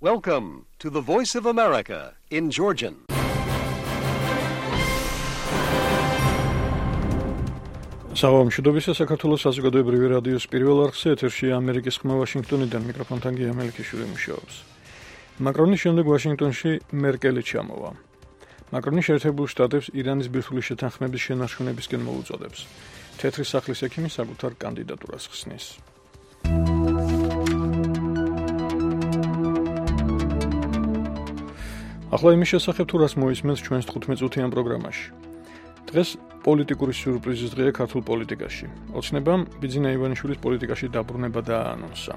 Welcome to the Voice of America in Georgian. Საუბრობთ საქართველოს საზოგადოებრივი რადიოს პირველ არხზე ეთერში ამერიკის ხმა ვაშინგტონიდან მიკროფონთან გია მელიქიშვილი მუშაობს. მაკრონის შემდეგ ვაშინგტონში მერკელი ჩამოვა. მაკრონი შეერთებულ შტატებს ირანის ბირთვული შეთანხმების შენარჩუნებისკენ მოუწოდებს. თეთრი სახლის ექიმი საკუთარ კანდიდატურას ხსნის. ახლა იმის შესახებ თუ რას მოისმენს ჩვენს 15 წუთიან პროგრამაში. დღეს პოლიტიკური სიურპრიზის დღეა ქართულ პოლიტიკაში. ოცნებამ ბიძინა ივანიშვილის პოლიტიკაში დაბრუნება დააანონსა.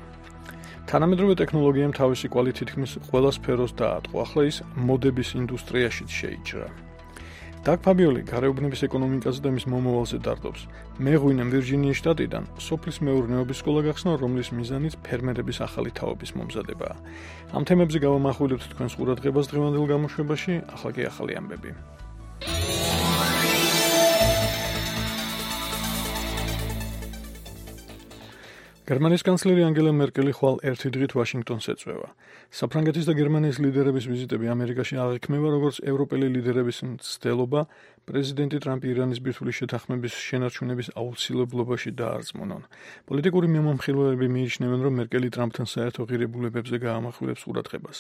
თანამედროვე ტექნოლოგიამ თავისი კვალი თითქმის ყველა სფეროს დაატყო. ახლა ის მოდების ინდუსტრიაშიც შეიჭრა. დაგ ფაბიოლი გარეუბნების ეკონომიკაზე და მის მომავალზე დარდობს. მე ღვინემ ვირჯინიის შტატიდან სოფლის მეურნეობის სკოლა გახსნა, რომლის მიზანიც ფერმერების ახალი თაობის მომზადებაა. ამ თემებზე გავამახვილებთ თქვენს ყურადღებას დღევანდელ გამოშვებაში, ახლა კი ახალი ამბები. გერმანიის კანცლერი ანგელა მერკელი ხვალ ერთი დღით ვაშინგტონს ეწვევა. საფრანგეთის და გერმანიის ლიდერების ვიზიტები ამერიკაში აღიქმება როგორც ევროპელი ლიდერების მცდელობა პრეზიდენტი ტრამპი ირანის ბირთვული შეთანხმების შენარჩუნების აუცილებლობაში დაარწმუნონ. პოლიტიკური მიმომხილველები მიიჩნევენ, რომ მერკელი ტრამპთან საერთო ღირებულებებზე გაამახვილებს ყურადღებას.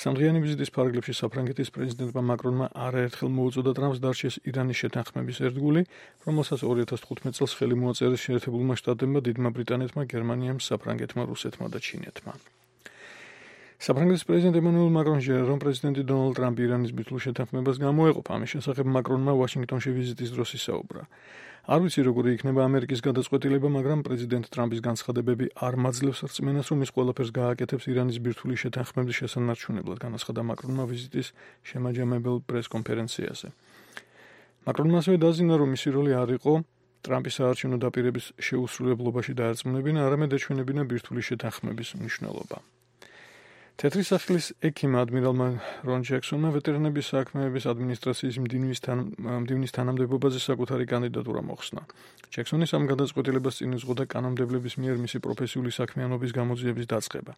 სამდღიანი ვიზიტის ფარგლებში საფრანგეთის პრეზიდენტმა მაკრონმა არაერთხელ მოუწოდა ტრამპს დარჩეს ირანის შეთანხმების ერთგული, რომელსაც 2015 წელს ხელი მოაწერეს შეერთებულმა შტატებმა, დიდმა ბრიტანეთმა, გერმანიამ, საფრანგეთმა, რუსეთმა და ჩინეთმა. საფრანგეთის პრეზიდენტ ემანუელ მაკრონი ჟღერა, რომ პრეზიდენტი დონალდ ტრამპი ირანის ბირთვულ შეთანხმებას გამოეყოფა. ამის შესახებ მაკრონმა ვაშინგტონში ვიზიტის დროს ისაუბრა. არ ვიცი როგორი იქნება ამერიკის გადაწყვეტილება, მაგრამ პრეზიდენტ ტრამპის განცხადებები არ მაძლევს რწმენას, რომ ის ყველაფერს გააკეთებს ირანის ბირთვული შეთანხმების შესანარჩუნებლად, განაცხადა მაკრონმა ვიზიტის შემაჯამებელ პრესკონფერენციაზე. მაკრონმა ასევე დაზიანა, რომ მისი როლი არ იყო ტრამპის საარჩევნო დაპირების შეუსრულებლობაში დაერწმუნებინა, არამედ ეჩვენებინა ბირთვული შეთანხმების მნიშვნელობა. თეთრი სახლის ექიმ ადმირალმა რონ ჯექსონმა ვეტერანების საქმეების ადმინისტრაციის მდივნის თანამდებობაზე საკუთარი კანდიდატურა მოხსნა. ჯექსონის ამ გადაწყვეტილებას წინ უძღოდა კანონმდებლების მიერ მისი პროფესიული საქმიანობის გამოძიების დაწყება.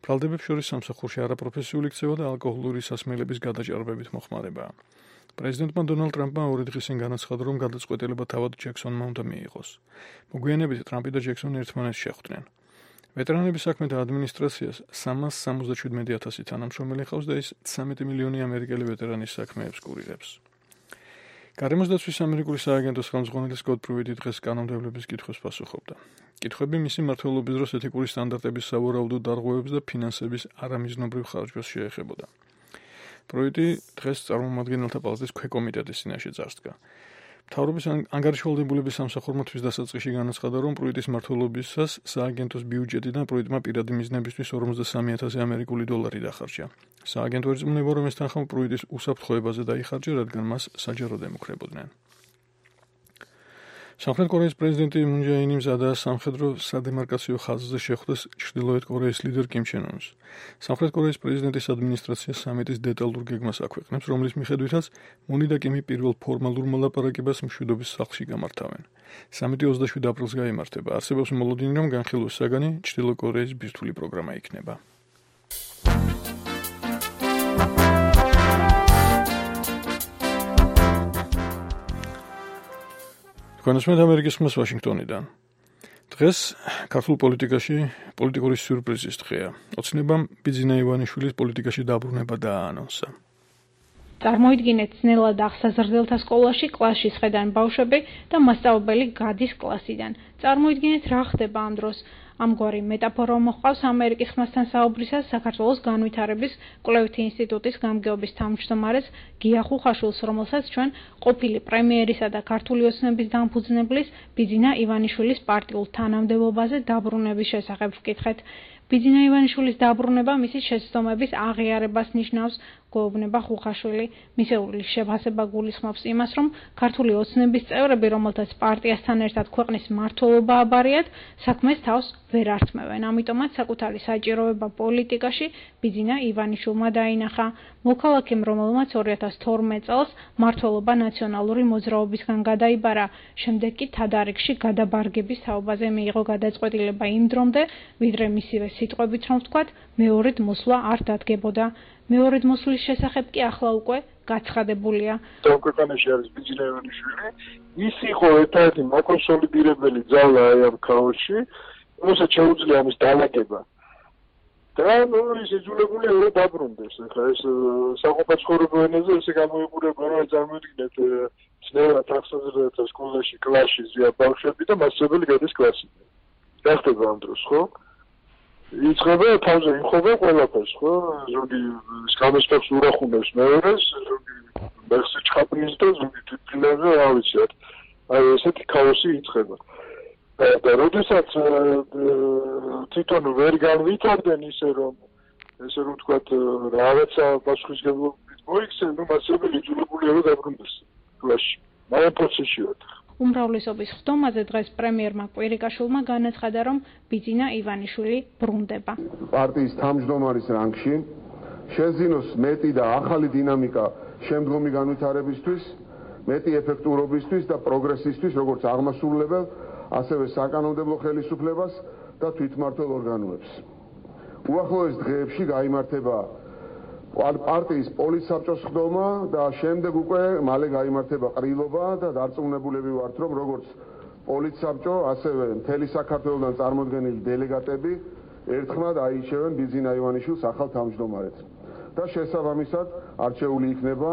ბრალდებებს შორის სამსახურში არაპროფესიული ქცევა და ალკოჰოლური სასმელების გადაჭარბებით მოხმარებაა. პრეზიდენტმა დონალდ ტრამპმა 2 დღის წინ განაცხადა, რომ გადაწყვეტილება თავად ჯექსონმა უნდა მიიღოს. მოგვიანებით ტრამპი და ჯექსონი ერთმანეთს შეხვდნენ. ვეტერანების საქმეთა ადმინისტრაციას 377,000 თანამშრომელი ჰყავს და ის 13 მილიონი ამერიკელი ვეტერანის საქმეებს კურირებს. გარემოს დაცვის ამერიკული სააგენტოს ხელმძღვანელი სკოტ პრუიტი დღეს კანონმდებლობის კითხვებს პასუხობდა. კითხვები მისი მმართველობის დროს ეთიკური სტანდარტების სავარაუდო დარღვევებს და ფინანსების არამიზნობრივ ხარჯვას შეეხებოდა. პრუიტი დღეს წარმომადგენელთა პალატის ქვეკომიტეტის წინაშე წარსდგა. მთავრობის ანგარიშვალდებულების სამსახურმა თვის დასაწყისში განაცხადა, რომ პრუიტის მმართველობისას სააგენტოს ბიუჯეტიდან პრუიტმა პირადი მიზნებისთვის 43,000 ამერიკული დოლარი დახარჯა. სააგენტო ერწმუნება, რომ ეს თანხა პრუიტის უსაფრთხოებაზე დაიხარჯა, რადგან მას საჯაროდ ემუქრებოდნენ. სამხრეთ კორეის პრეზიდენტი მუნ ჯე ინი მზადაა სამხედრო სადემარკაციო ხაზზე შეხვდეს ჩრდილოეთ კორეის ლიდერ კიმ ჩენ უნს. სამხრეთ კორეის პრეზიდენტის ადმინისტრაცია სამიტის დეტალურ გეგმას აქვეყნებს, რომლის მიხედვითაც მუნი და კიმი პირველ ფორმალურ მოლაპარაკებას მშვიდობის სახლში გამართავენ. სამიტი 27 აპრილს გაიმართება. არსებობს მოლოდინი, რომ განხილვის საგანი ჩრდილო კორეის ბირთვული პროგრამა იქნება. განსმეთ ამერიკის ხმას ვაშინგტონიდან. დღეს ქართულ პოლიტიკაში პოლიტიკური სიურპრიზის დღეა. ოცნებამ ბიძინა ივანიშვილის პოლიტიკაში დაბრუნება დააანონსა. წარმოიდგინეთ, ძნელად აღსაზრდელთა სკოლაში კლასში სხედან ბავშვები და მასწავლებელი გადის კლასიდან. წარმოიდგინეთ, რა ხდება ამ დროს. ამგვარი მეტაფორა მოჰყავს ამერიკის ხმასთან საუბრისას საქართველოს განვითარების კვლევითი ინსტიტუტის გამგეობის თავმჯდომარეს გია ხუხაშვილს, რომელსაც ჩვენ ყოფილი პრემიერისა და ქართული ოცნების დამფუძნებლის ბიძინა ივანიშვილის პარტიულ თანამდებობაზე დაბრუნების შესახებ ვკითხეთ. ბიძინა ივანიშვილის დაბრუნება მისი შეცდომების აღიარებას ნიშნავს, გვეუბნება ხუხაშვილი. მისეული შეფასება გულისხმობს იმას, რომ ქართული ოცნების წევრები, რომელთაც პარტიასთან ერთად ქვეყნის მმართველობა აბარიათ, საქმეს თავს ვერ ართმევენ. ამიტომაც საკუთარი საჭიროება პოლიტიკაში ბიძინა ივანიშვილმა დაინახა. მოქალაქემ, რომელმაც 2012 წელს მმართველობა ნაციონალური მოძრაობისგან გადაიბარა, შემდეგ კი თადარიგში გადაბარგების თაობაზე მიიღო გადაწყვეტილება იმ დრომდე, ვიდრე მისივე სიტყვებით რომ ვთქვათ, მეორედ მოსვლა არ დადგებოდა. მეორედ მოსვლის შესახებ კი ახლა უკვე გაცხადებულია. ქვეყანაში არის ბიძინა ივანიშვილი, ის იყო ერთ-ერთი მაკონსოლიდირებელი ძალა ამ ქაოსში, რომელსაც შეუძლია ამის დალაგება. და ის იძულებული იყო დაბრუნდეს. ახლა ეს საყოფაცხოვრებო ენაზე ესე გამოიყურება, რომ წარმოიდგინეთ ძნელად ახსოვს სკოლაში კლასში ზია ბავშვები და მასწავლებელი გადის კლასიდან. რა ხდება ამ დროს, ხო? იწყება თავზე იმხობა ყველაფერს, ხო? ზოგი სკამესპებს ურახუნებს მეორეს, ზოგი მეხსი ჩხაპნის და ზოგი თვითმფრინავზე, რა ვიცი, აი ესეთი ქაოსი იწყება. და როდესაც თვითონ ვერ განვითარდნენ ისე რომ ვთქვათ რაღაცა პასუხისმგებლობით მოიქცნენ, ნუ მასწავლებელი იძულებული იყო დაბრუნდეს კლასში. მაგრამ პროცესში ვარ. უმრავლესობის ხდომაზე დღეს პრემიერმა კვირიკაშვილმა განაცხადა, რომ ბიძინა ივანიშვილი ბრუნდება. პარტიის თავმჯდომარის რანგში შეზინოს მეტი და ახალი დინამიკა შემდგომი განვითარებისთვის, მეტი ეფექტურობისთვის და პროგრესისთვის, როგორც აღმასრულებელ, ასევე საკანონმდებლო ხელისუფლებას და თვითმმართველ ორგანოებს. უახლოეს დღეებში გაიმართება პარტიის პოლიტსაბჭოს ხდომა და შემდეგ უკვე მალე გაიმართება ყრილობა და დარწმუნებულები ვართ, რომ როგორც პოლიტსაბჭო, ასევე მთელი საქართველოსთან წარმოდგენილი დელეგატები ერთხმად აირჩევენ ბიძინა ივანიშვილს ახალ თავმჯდომარედ და შესაბამისად არჩეული იქნება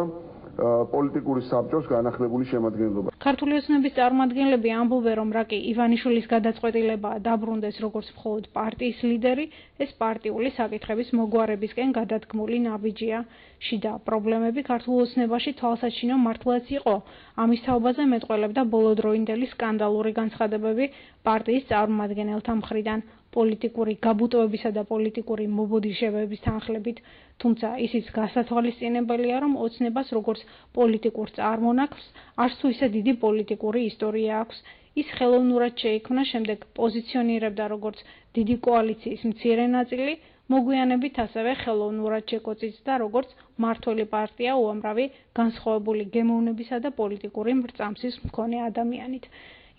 პოლიტიკური საბჭოს განახლებული შემადგენლობა. ქართული ოცნების წარმომადგენლები ამბობენ, რომ რაკი ივანიშვილის გადაწყვეტილებაა დაბრუნდეს როგორც მხოლოდ პარტიის ლიდერი, ეს პარტიული საკითხების მოგვარებისკენ გადადგმული ნაბიჯია. შიდა პრობლემები ქართულ ოცნებაში თვალსაჩინო მართლაც იყო. ამის თაობაზე მეტყველებდა ბოლოდროინდელი სკანდალური განცხადებები პარტიის წარმომადგენელთა მხრიდან. პოლიტიკური გაბუტოებისა და პოლიტიკური მობოდიშებების თანხლებით, თუმცა ისიც გასათვალისწინებელია, რომ ოცნებას როგორც პოლიტიკურ წარმონაქმნს არც თუ ისე დიდი პოლიტიკური ისტორია აქვს. ის ხელოვნურად შეიქმნა, შემდეგ პოზიციონირებდა როგორც დიდი კოალიციის მცირე ნაწილი, მოგვიანებით ასევე ხელოვნურად შეკოწიწდა როგორც მმართველი პარტია უამრავი განსხვავებული გემოვნებისა და პოლიტიკური მრწამსის მქონე ადამიანით.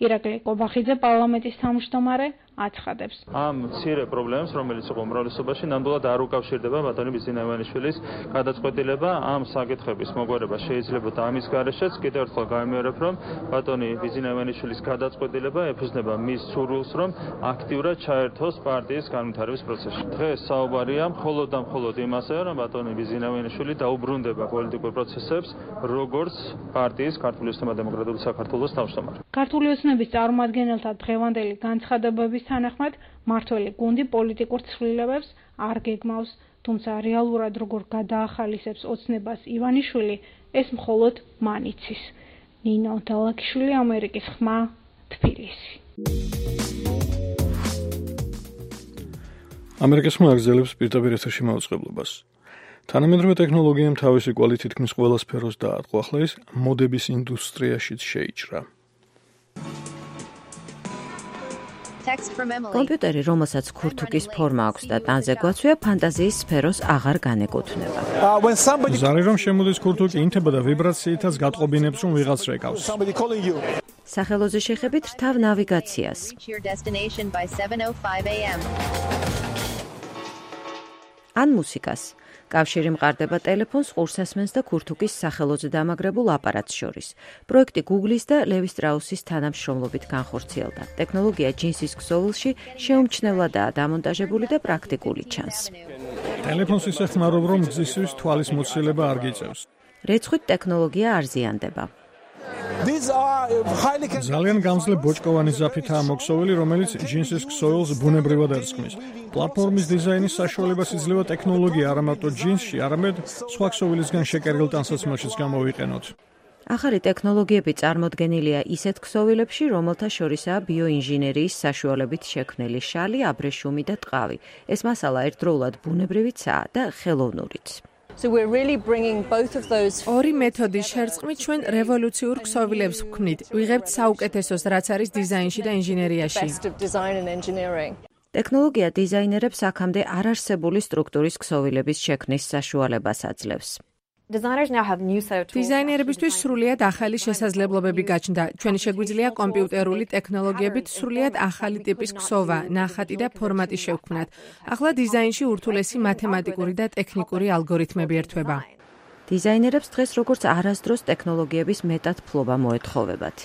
ირაკლი კობახიძე პარლამენტის თავმჯდომარე აცხადებს. ამ მცირე პრობლემებს, რომელიც იყო უმრავლესობაში, ნამდვილად არ უკავშირდება ბატონი ბიძინა ივანიშვილის გადაწყვეტილება. ამ საკითხების მოგვარება შეიძლება და ამის გარეშეც კიდევ ერთხელ გამიმეორებ, რომ ბატონი ბიძინა ივანიშვილის გადაწყვეტილება ეფუძნება მის სურვილს, რომ აქტიურად ჩაერთოს პარტიის განვითარების პროცესში. დღეს საუბარია მხოლოდ და მხოლოდ იმაზე, რომ ბატონი ბიძინა ივანიშვილი დაუბრუნდება პოლიტიკურ პროცესებს, როგორც პარტიის ქართული ოცნება დემოკრატიული საქართველოს თავმჯდომარე. ქართული ოცნების წარმომადგენელთა დღევანდელი განცხადებების თანახმად მმართველი გუნდი პოლიტიკურ ცვლილებებს არ გეგმავს, თუმცა რეალურად როგორ გადაახალისებს ოცნებას ივანიშვილი, ეს მხოლოდ მან იცის. ნინო დალაქიშვილი, ამერიკის ხმა, თბილისი. ამერიკის ხმა აგრძელებს პირდაპირ ეთერში მაუწყებლობას. თანამედროვე ტექნოლოგიამ თავისი კვალი თითქმის ყველა სფეროს დაატყო, ახლა ის მოდების ინდუსტრიაშიც შეიჭრა. კომპიუტერი, რომელსაც ქურთუკის ფორმა აქვს და ტანზე გვაცვია, ფანტაზიის სფეროს აღარ განეკუთვნება. ზარი რომ შემოდის ქურთუკი ინთება და ვიბრაციითაც გატყობინებს, რომ ვიღაც რეკავს. სახელოზე შეხებით რთავ ნავიგაციას. ან მუსიკას. კავშირი მყარდება ტელეფონს, ყურსასმენს და ქურთუკის სახელოზე დამაგრებულ აპარატს შორის. პროექტი Google-ის და Levi Strauss-ის თანამშრომლობით განხორციელდა. ტექნოლოგია ჯინსის ქსოვილში შეუმჩნევლადაა დამონტაჟებული და პრაქტიკული ჩანს. ტელეფონს ისე ხმარობ, რომ გზისთვის თვალის მოცილება არ გიწევს. რეცხვით ტექნოლოგია არ ზიანდება. ძალიან გამძლე ბოჭკოვანი ზაფითაა მოქსოვილი, რომელიც ჯინსის ქსოვილს ბუნებრივად ერწყმის. პლატფორმის დიზაინის საშუალებას იძლევა ტექნოლოგია არა მარტო ჯინსში, არამედ სხვა ქსოვილისგან შეკერგილ ტანსაცმელშიც გამოვიყენოთ. ახალი ტექნოლოგიები წარმოდგენილია ისეთ ქსოვილებში, რომელთა შორისაა ბიოინჟინერიის საშუალებით შექმნილი შალი, აბრეშუმი და ტყავი. ეს მასალა ერთდროულად ბუნებრივიცაა და ხელოვნურიც. ორი მეთოდის შერწყმით ჩვენ რევოლუციურ ქსოვილებს ვქმნით. ვიღებთ საუკეთესოს, რაც არის დიზაინში და ინჟინერიაში. ტექნოლოგია დიზაინერებს აქამდე არარსებული სტრუქტურის ქსოვილების შექმნის საშუალებას აძლევს. დიზაინერებისთვის სრულიად ახალი შესაძლებლობები გაჩნდა. ჩვენი შეგვიძლია კომპიუტერული ტექნოლოგიებით სრულიად ახალი ტიპის ქსოვა, ნახატი და ფორმატი შევქმნათ. ახლა დიზაინში ურთულესი მათემატიკური და ტექნიკური ალგორითმები ერთვება. დიზაინერებს დღეს როგორც არასდროს ტექნოლოგიების მეტად ფლობა მოეთხოვებათ.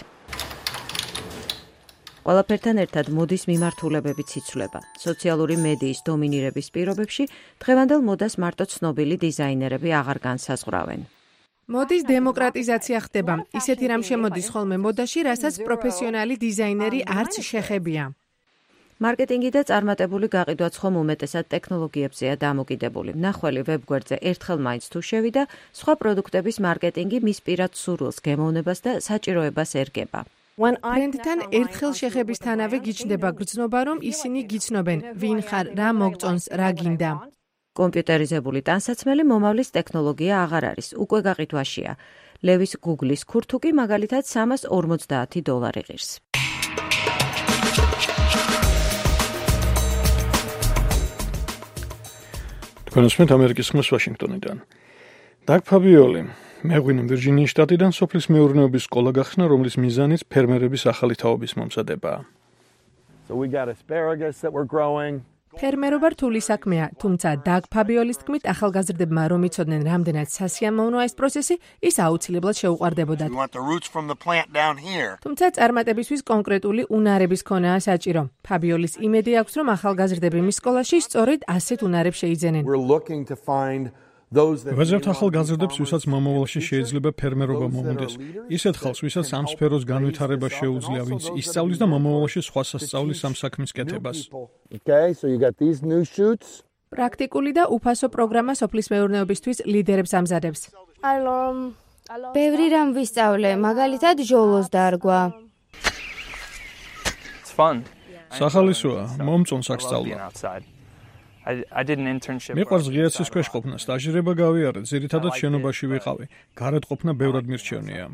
ყველაფერთან ერთად მოდის მიმართულებებიც იცვლება. სოციალური მედიის დომინირების პირობებში დღევანდელ მოდას მარტო ცნობილი დიზაინერები აღარ განსაზღვრავენ. მოდის დემოკრატიზაცია ხდება. ისეთი რამ შემოდის ხოლმე მოდაში, რასაც პროფესიონალი დიზაინერი არც შეხებია. მარკეტინგი და წარმატებული გაყიდვაც ხომ უმეტესად ტექნოლოგიებზეა დამოკიდებული. მნახველი ვებგვერდზე ერთხელ მაინც თუ შევიდა, სხვა პროდუქტების მარკეტინგი მის პირად სურვილს, გემოვნებას და საჭიროებას ერგება. ბრენდთან ერთხელ შეხებისთანავე გიჩნდება გრძნობა, რომ ისინი გიცნობენ, ვინ ხარ, რა მოგწონს, რა გინდა. კომპიუტერიზებული ტანსაცმელი მომავლის ტექნოლოგია აღარ არის, უკვე გაყიდვაშია. ლევის Google-ის ქურთუკი მაგალითად $350 ღირს. თქვენსმენთ ამერიკის ხმის ვაშინგტონიდან. დაგ ფაბიოლი მეღვინე ვირჯინიის შტატიდან სოფლის მეურნეობის სკოლა გახსნა, რომლის მიზანიც ფერმერების ახალი თაობის მომზადებაა. ფერმერობა რთული საქმეა, თუმცა დაგ ფაბიოლის თქმით, ახალგაზრდებმა რომ იცოდნენ, რამდენად სასიამოვნოა ეს პროცესი, ის აუცილებლად შეუყვარდებოდათ. თუმცა წარმატებისთვის კონკრეტული უნარების ქონაა საჭირო. ფაბიოლის იმედი აქვს, რომ ახალგაზრდები მის სკოლაში სწორედ ასეთ უნარებს შეიძენენ. ვეძებთ ახალგაზრდებს, ვისაც მომავალში შეიძლება ფერმერობა მოუნდეს. ისეთ ხალხს, ვისაც ამ სფეროს განვითარება შეუძლია, ვინც ისწავლის და მომავალში სხვა სასწავლის ამ საქმის კეთებას. პრაქტიკული და უფასო პროგრამა სოფლის მეურნეობისთვის ლიდერებს ამზადებს. ბევრი რამ ვისწავლე, მაგალითად ჟოლოს დარგვა. სახალისოა, მომწონს აქ სწავლა. მიყვარს ღიაცის ქვეშ ყოფნა, სტაჟირება გავიარე, ძირითადად შენობაში ვიყავი. გარეთ ყოფნა ბევრად მირჩევნია.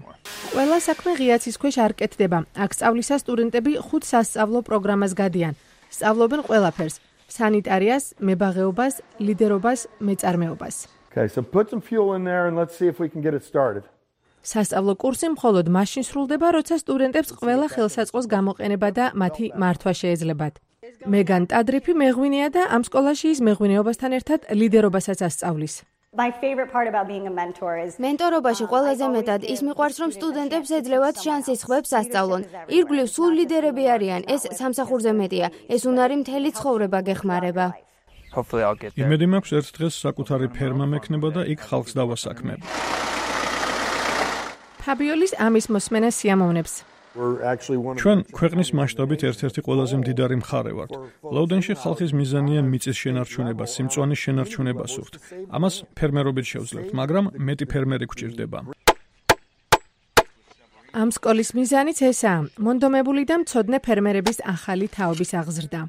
ყველა საქმე ღიაცის ქვეშ არ კეთდება. აქ სწავლისას სტუდენტები 5 სასწავლო პროგრამას გადიან. სწავლობენ ყველაფერს: სანიტარიას, მებაღეობას, ლიდერობას, მეწარმეობას. სასწავლო კურსი მხოლოდ მაშინ სრულდება, როცა სტუდენტებს ყველა ხელსაწყოს გამოყენება და მათი მართვა შეეძლებათ. მეგან ტადრიფი მეღვინეა და ამ სკოლაში ის მეღვინეობასთან ერთად ლიდერობასაც ასწავლის. მენტორობაში ყველაზე მეტად ის მიყვარს, რომ სტუდენტებს ეძლევათ შანსი სხვებს ასწავლონ. ირგვლივ სულ ლიდერები არიან, ეს სამსახურზე მეტია. ეს უნარი მთელი ცხოვრება გეხმარება. იმედი მაქვს, ერთ დღეს საკუთარი ფერმა მექნება და იქ ხალხს დავასაქმებ. ფაბიოლის ამის მოსმენა სიამოვნებს. ჩვენ ქვეყნის მასშტაბით ერთ-ერთი ყველაზე მდიდარი მხარე ვართ. ლოუდენში ხალხის მიზანია მიწის შენარჩუნება, სიმწვანის შენარჩუნება სურთ. ამას ფერმერობით შევძლებთ, მაგრამ მეტი ფერმერი გვჭირდება. ამ სკოლის მიზანიც ესაა: მონდომებული და მცოდნე ფერმერების ახალი თაობის აღზრდა.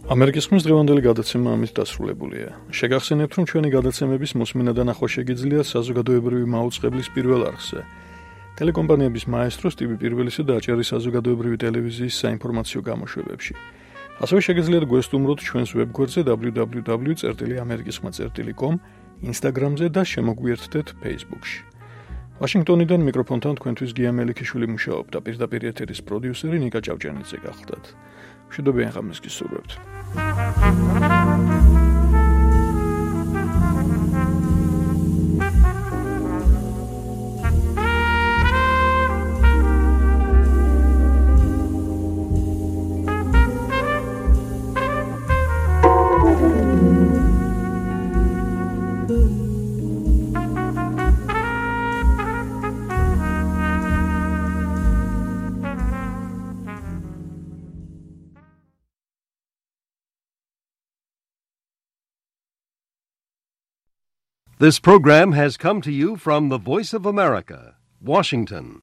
ამერიკის ხმის დღევანდელი გადაცემა ამით დასრულებულია. შეგახსენებთ, რომ ჩვენი გადაცემების მოსმენა და ნახვა შეგიძლიათ საზოგადოებრივი მაუწყებლის პირველ არხზე. ტელეკომპანიების მაესტრო სტივი პირველისა დააჭერა საზოგადოებრივი ტელევიზიის საინფორმაციო გამოშვებებში. ასევე შეგიძლიათ გვესტუმროთ ჩვენს ვებგვერდზე www.amerikiskhma.com, Instagram-ზე და შემოგვიერთდეთ Facebook-ში. ვაშინგტონიდან მიკროფონთან თქვენთვის გია მელიქიშვილი მუშაობდა, პირდაპირ ეთერის პროდიუსერი ნიკა ჭავჭანიძე გახლდათ. მშვიდობიან ღამეს გისურვებთ. This program has come to you from the Voice of America, Washington.